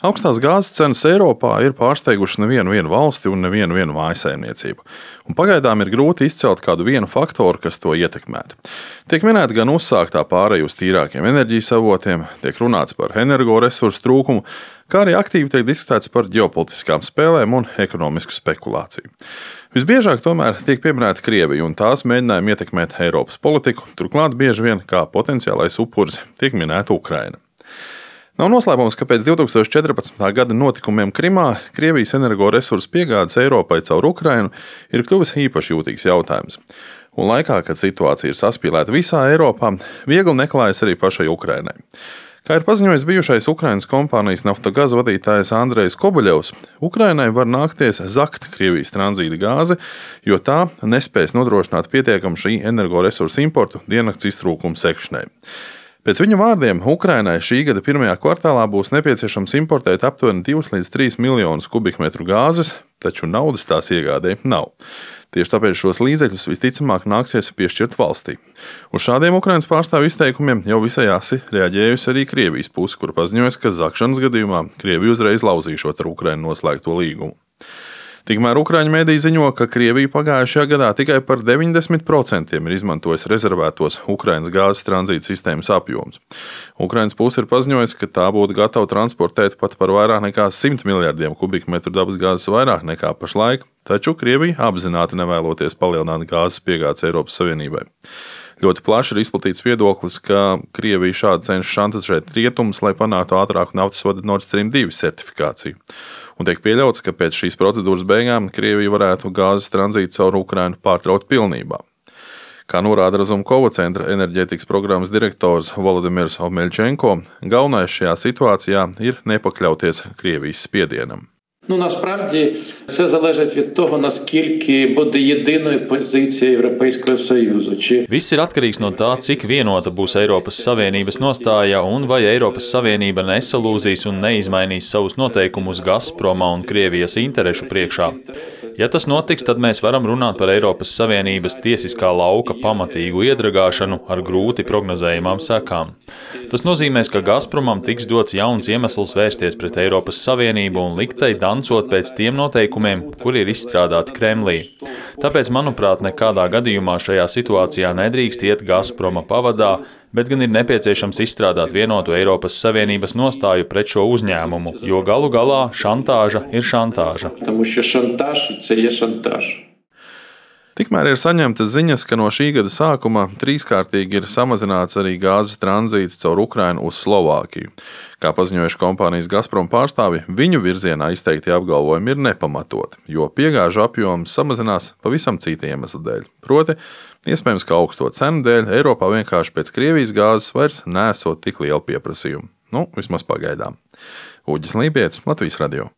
Augstās gāzes cenas Eiropā ir pārsteigušas nevienu valsti un nevienu mājsaimniecību. Un pagaidām ir grūti izcelt kādu vienu faktoru, kas to ietekmētu. Tiek minēta gan uzsāktā pāreja uz tīrākiem enerģijas avotiem, tiek runāts par energoresursu trūkumu, kā arī aktīvi tiek diskutēts par ģeopolitiskām spēlēm un ekonomisku spekulāciju. Visbiežāk tomēr tiek pieminēta Krievija un tās mēģinājumi ietekmēt Eiropas politiku, turklāt bieži vien kā potenciālais upuris tiek minēta Ukraina. Nav noslēpums, ka pēc 2014. gada notikumiem Krimā Krievijas energoresursu piegādes Eiropai caur Ukrainu ir kļuvis īpaši jūtīgs jautājums. Un laikā, kad situācija ir saspīlēta visā Eiropā, viegli neklājas arī pašai Ukrainai. Kā ir paziņojis bijušais Ukrainas kompānijas Naftogaz vadītājs Andrejs Kobuļevs, Ukrainai var nākties zakt Krievijas tranzīta gāzi, jo tā nespēs nodrošināt pietiekamu šī energoresursu importu diennakts iztrūkumu sekšanai. Pēc viņa vārdiem, Ukrainai šī gada pirmajā kvartālā būs nepieciešams importēt aptuveni 2 līdz 3 miljonus kubikmetru gāzes, taču naudas tās iegādē nav. Tieši tāpēc šos līdzekļus visticamāk nāksies piešķirt valstī. Uz šādiem Ukrainas pārstāvju izteikumiem jau visai asi reaģējusi arī Krievijas puse, kur paziņojas, ka zakšanas gadījumā Krievija uzreiz lauzīšot ar Ukrainu noslēgto līgumu. Tikmēr Ukraiņu mediji ziņo, ka Krievija pagājušajā gadā tikai par 90% ir izmantojusi rezervētos Ukrainas gāzes tranzīta sistēmas apjomus. Ukrainas puse ir paziņojusi, ka tā būtu gatava transportēt pat par vairāk nekā 100 miljardiem kubikmetru dabasgāzes vairāk nekā pašlaik, taču Krievija apzināti nevēloties palielināt gāzes piegādes Eiropas Savienībai. Ļoti plaši ir izplatīts viedoklis, ka Krievija šādi cenšas šantažēt rietumus, lai panāktu ātrāku naftas vadu Nord Stream 2 certifikāciju. Un tiek pieļauts, ka pēc šīs procedūras beigām Krievija varētu gāzes tranzītu caur Ukrainu pārtraukt pilnībā. Kā norāda Razumkova centra enerģētikas programmas direktors Volodimirs Omeļčenko, galvenais šajā situācijā ir nepakļauties Krievijas spiedienam. Насправді, це залежить від того, наскільки буде єдиною позиція Європейського Союзу. Viss ir atkarīgs no tā, cik vienota būs Eiropas Savienības nostāja un vai Eiropas Savienība nesalūzīs un neizmainīs savus noteikumus Gazproma un Krievijas interešu priekšā. Ja tas notiks, tad mēs varam runāt par Eiropas Savienības tiesiskā lauka pamatīgu iedragāšanu ar grūti prognozējamām sekām. Tas nozīmēs, ka Gazpromam tiks dots jauns iemesls vērsties pret Eiropas Savienību un liktai dancot pēc tiem noteikumiem, kuri ir izstrādāti Kremlī. Tāpēc, manuprāt, nekādā gadījumā šajā situācijā nedrīkst iet Gazproma pavadā, bet gan ir nepieciešams izstrādāt vienotu Eiropas Savienības nostāju pret šo uzņēmumu, jo galu galā šantāža ir šantāža. Tikmēr ir saņemtas ziņas, ka no šī gada sākuma trīskārtīgi ir samazināts arī gāzes tranzīts caur Ukrainu uz Slovākiju. Kā paziņojuši kompānijas Gazprom pārstāvi, viņu virzienā izteiktie apgalvojumi ir nepamatoti, jo piegāžu apjoms samazinās pavisam cita iemesla dēļ. Proti, iespējams, ka augsto cenu dēļ Eiropā vienkārši pēc Krievijas gāzes vairs nesot tik lielu pieprasījumu. Vismaz pagaidām. Uģis Lībijams, Latvijas radio.